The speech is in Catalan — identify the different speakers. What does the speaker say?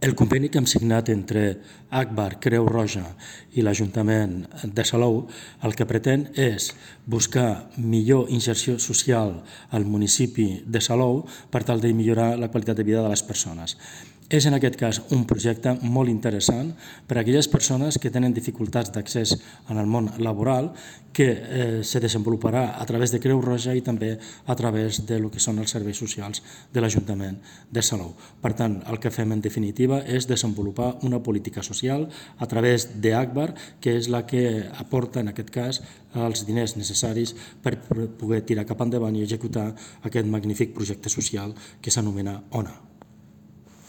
Speaker 1: El conveni que hem signat entre Agbar, Creu Roja i l'Ajuntament de Salou el que pretén és buscar millor inserció social al municipi de Salou per tal de millorar la qualitat de vida de les persones. És en aquest cas un projecte molt interessant per a aquelles persones que tenen dificultats d'accés en el món laboral que se desenvoluparà a través de Creu Roja i també a través del que són els serveis socials de l'Ajuntament de Salou. Per tant, el que fem en definitiva és desenvolupar una política social a través d'Agbar, que és la que aporta en aquest cas els diners necessaris per poder tirar cap endavant i executar aquest magnífic projecte social que s'anomena ONA.